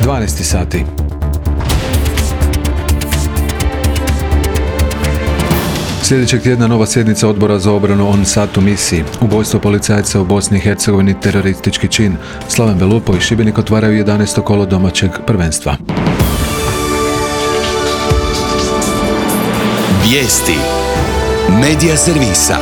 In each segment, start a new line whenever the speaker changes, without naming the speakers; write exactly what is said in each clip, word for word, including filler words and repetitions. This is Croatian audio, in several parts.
dvanaest sati. Sljedećeg tjedna nova sjednica Odbora za obranu on sat u misiji. Ubojstvo policajca u Bosni i Hercegovini teroristički čin. Slaven Belupo i Šibenik otvaraju jedanaesto kolo domaćeg prvenstva.
Vijesti Medija servisa.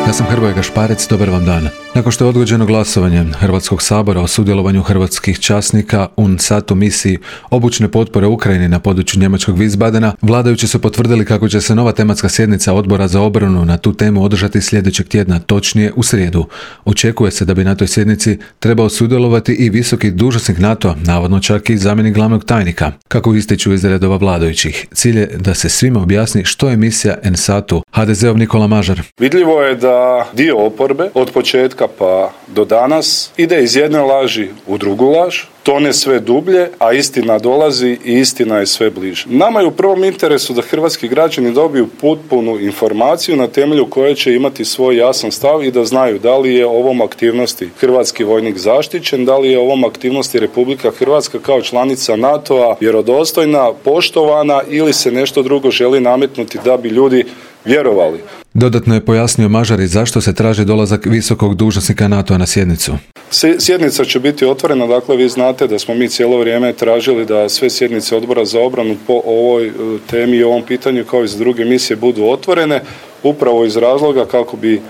Ja sam Hrvoje Gašparec, dobar vam dan. Nakon što je odgođeno glasovanje Hrvatskog sabora o sudjelovanju hrvatskih časnika un sat u misiji obučne potpore Ukrajini na području njemačkog Wiesbadena, vladajući su potvrdili kako će se nova tematska sjednica Odbora za obranu na tu temu održati sljedećeg tjedna, točnije u srijedu. Očekuje se da bi na toj sjednici trebao sudjelovati i visoki dužnosnik NATO, navodno čak i zamjenik glavnog tajnika. Kako ističu iz redova vladajućih, cilj je da se svima objasni što je misija en satu. ha de zeov Nikola Mažar.
Vidljivo je da dio oporbe od početka pa do danas ide iz jedne laži u drugu laž, tone sve dublje, a istina dolazi i istina je sve bliže. Nama je u prvom interesu da hrvatski građani dobiju potpunu informaciju na temelju koje će imati svoj jasan stav i da znaju da li je ovom aktivnosti hrvatski vojnik zaštićen, da li je ovom aktivnosti Republika Hrvatska kao članica NATO-a vjerodostojna, poštovana ili se nešto drugo želi nametnuti da bi ljudi vjerovali.
Dodatno je pojasnio Mažar i zašto se traži dolazak visokog dužnosnika NATO-a na sjednicu.
Sjednica će biti otvorena, dakle vi znate da smo mi cijelo vrijeme tražili da sve sjednice Odbora za obranu po ovoj temi i ovom pitanju kao i za druge misije budu otvorene, upravo iz razloga kako bi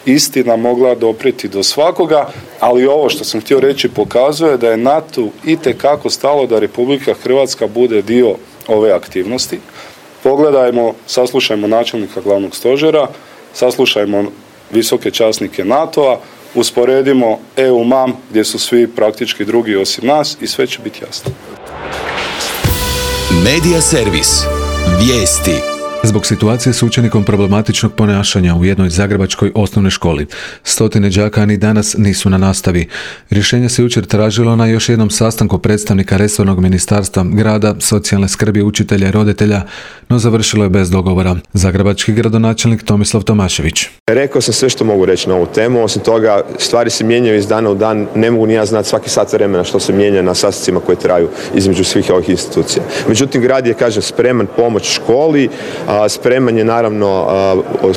istina mogla doprijeti do svakoga, ali ovo što sam htio reći pokazuje da je NATO itekako stalo da Republika Hrvatska bude dio ove aktivnosti. Pogledajmo, saslušajmo načelnika glavnog stožera, saslušajmo visoke časnike NATO-a, usporedimo E U M A M gdje su svi praktički drugi osim nas i sve će biti jasno.
Medija servis. Vijesti.
Zbog situacije s učenikom problematičnog ponašanja u jednoj zagrebačkoj osnovnoj školi, stotine đaka ni danas nisu na nastavi. Rješenje se jučer tražilo na još jednom sastanku predstavnika resornog ministarstva, grada, socijalne skrbi, učitelja i roditelja, no završilo je bez dogovora. Zagrebački gradonačelnik Tomislav Tomašević.
Rekao sam sve što mogu reći na ovu temu, osim toga stvari se mijenjaju iz dana u dan, ne mogu ni ja znati svaki sat vremena što se mijenja na sastancima koji traju između svih ovih institucija. Međutim, grad je, kažem, spreman pomoć školi, spreman je naravno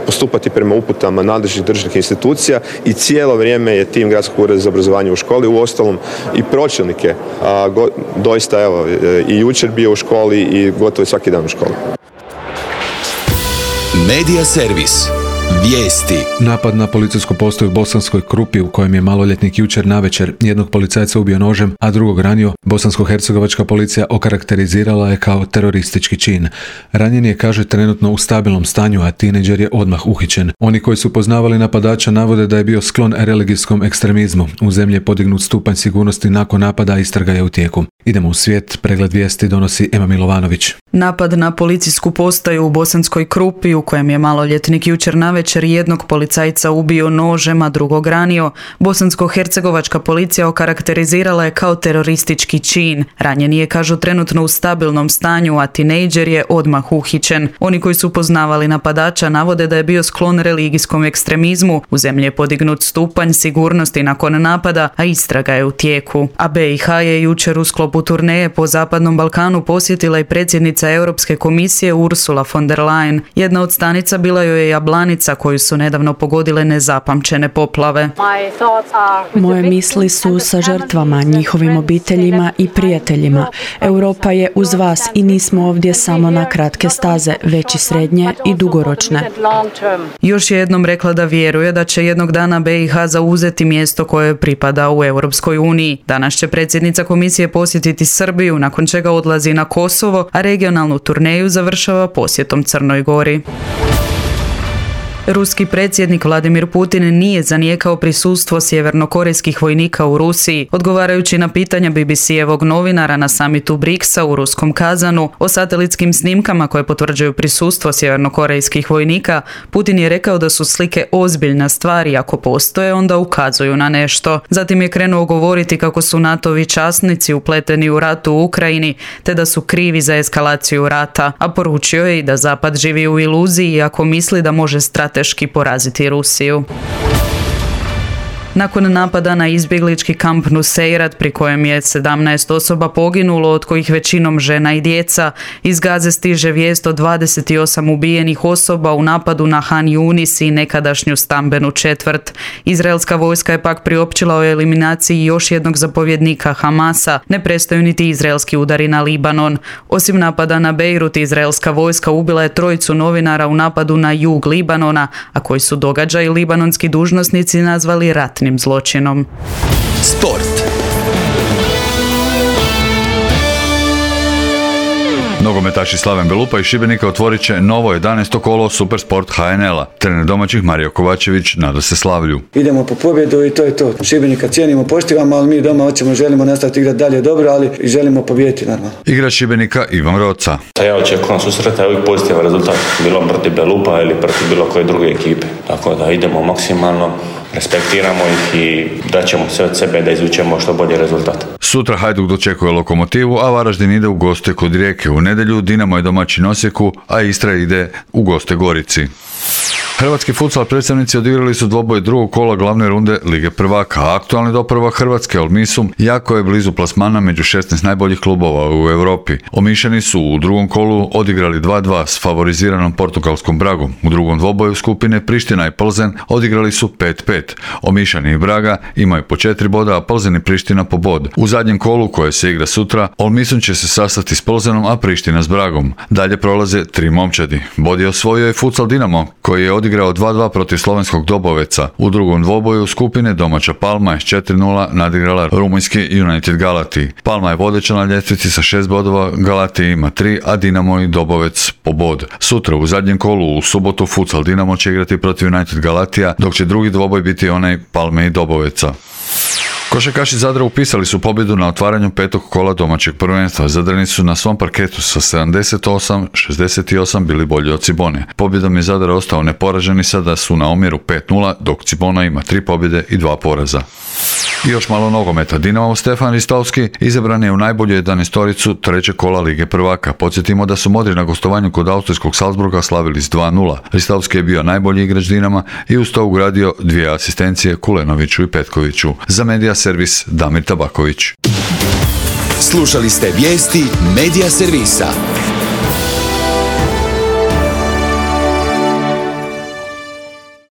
postupati prema uputama nadležnih državnih institucija i cijelo vrijeme je tim Gradskog ureda za obrazovanje u školi, uostalom i pročelnike, doista evo i jučer bio u školi i gotovo svaki dan u školi.
Medija servis. Vijesti.
Napad na policijsku postaju u Bosanskoj Krupi u kojem je maloljetnik jučer navečer jednog policajca ubio nožem, a drugog ranio, bosansko-hercegovačka policija okarakterizirala je kao teroristički čin. Ranjen je, kaže, trenutno u stabilnom stanju, a tinejdžer je odmah uhićen. Oni koji su poznavali napadača navode da je bio sklon religijskom ekstremizmu. U zemlji je podignut stupanj sigurnosti nakon napada, a istraga je u tijeku. Idemo u svijet, pregled vijesti donosi Ema Milovanović.
Napad na policijsku postaju u Bosanskoj Krupi u kojem je maloljetnik jučer navečer jednog policajca ubio nožem, a drugog ranio, bosansko-hercegovačka policija okarakterizirala je kao teroristički čin. Ranjen je, kažu, trenutno u stabilnom stanju, a tinejdžer je odmah uhićen. Oni koji su poznavali napadača navode da je bio sklon religijskom ekstremizmu. U zemlji je podignut stupanj sigurnosti nakon napada, a istraga je u tijeku. A be i ha je jučer u sklopu turneje po Zapadnom Balkanu posjetila i predsjednica Europske komisije Ursula von der Leyen. Jedna od stanica bila joj je Jablanica, koju su nedavno pogodile nezapamćene poplave.
Moje misli su sa žrtvama, njihovim obiteljima i prijateljima. Europa je uz vas i nismo ovdje samo na kratke staze, već i srednje i dugoročne.
Još je jednom rekla da vjeruje da će jednog dana be i ha zauzeti mjesto koje pripada u Europskoj uniji. Danas će predsjednica komisije posjetiti Srbiju, nakon čega odlazi na Kosovo, a regionalnu turneju završava posjetom Crnoj Gori. Ruski predsjednik Vladimir Putin nije zanijekao prisustvo sjevernokorejskih vojnika u Rusiji. Odgovarajući na pitanja be be ce-evog novinara na samitu briksa u ruskom Kazanu o satelitskim snimkama koje potvrđuju prisustvo sjevernokorejskih vojnika, Putin je rekao da su slike ozbiljna stvar i ako postoje, onda ukazuju na nešto. Zatim je krenuo govoriti kako su NATO-vi časnici upleteni u rat u Ukrajini, te da su krivi za eskalaciju rata, a poručio je i da Zapad živi u iluziji ako misli da može strateški poraziti Rusiju. Nakon napada na izbjeglički kamp Nuseirat, pri kojem je sedamnaest osoba poginulo, od kojih većinom žena i djeca, iz Gaze stiže vijest o dvadeset osam ubijenih osoba u napadu na Han Yunis i nekadašnju stambenu četvrt. Izraelska vojska je pak priopćila o eliminaciji još jednog zapovjednika Hamasa. Ne prestaju niti izraelski udari na Libanon. Osim napada na Bejrut, izraelska vojska ubila je trojicu novinara u napadu na jug Libanona, a koji su događaj libanonski dužnosnici nazvali ratnim zločinom.
Sport.
Nogometaši Slaven Belupa iz Šibenika otvorit će novo jedanaesto kolo Supersport H N L-a. Trener domaćih Mario Kovačević nada se slavlju.
Idemo po pobjedu i to je to. Šibenika cijenimo, poštivamo, ali mi doma hoćemo, želimo nastaviti igrati dalje dobro, ali i želimo pobijediti normalno.
Igrač Šibenika Ivan Roca.
Ja očekujem susreta i uvijek pozitivan rezultat. Bilo protiv Belupa ili protiv bilo koje druge ekipe. Tako da idemo maksimalno, respektiramo ih i daćemo sve od sebe da izvučemo što bolji rezultat.
Sutra Hajduk dočekuje Lokomotivu, a Varaždin ide u goste kod Rijeke. U nedjelju Dinamo je domaćin Osijeku, a Istra ide u goste Gorici. Hrvatski futsal predstavnici odigrali su dvoboj drugog kola glavne runde Lige prvaka, a aktualni doprvak Hrvatske Olmisum jako je blizu plasmana među šesnaest najboljih klubova u Europi. Omišani su u drugom kolu odigrali dva dva s favoriziranom portugalskom Bragom. U drugom dvoboju skupine Priština i Plzen odigrali su pet pet. Omišani i Braga imaju po četiri boda, a Plzen i Priština po bod. U zadnjem kolu koje se igra sutra, Olmisum će se sastati s Plzenom, a Priština s Bragom. Dalje prolaze tri momčadi. Bod je osvojio i futsal Dinamo, koji je odigrao dva dva protiv slovenskog Doboveca. U drugom dvoboju skupine domaća Palma je s četiri nula nadigrala rumunjski United Galati. Palma je vodeća na ljestvici sa šest bodova, Galati ima tri, a Dinamo i Dobovec po bod. Sutra u zadnjem kolu u subotu futsal Dinamo će igrati protiv United Galatija, dok će drugi dvoboj biti onaj Palme i Doboveca. Košarkaši Zadra upisali su pobjedu na otvaranju petog kola domaćeg prvenstva. Zadrani su na svom parketu sa sedamdeset osam šezdeset osam bili bolji od Cibone. Pobjedom je Zadar ostao neporažen i sada su na omjeru pet nula, dok Cibona ima tri pobjede i dva poraza. I još malo nogometa. Dinamo Stefan Ristovski izabran je u najbolju jedanaestoricu trećeg kola Lige prvaka. Podsjetimo da su Modri na gostovanju kod austrijskog Salzburga slavili s dva nula. Ristovski je bio najbolji igrač Dinama i uz to ugradio dvije asistencije Kulenoviću i Petkoviću. Za Medija servis Damir Tabaković.
Slušali ste vijesti Medija servisa.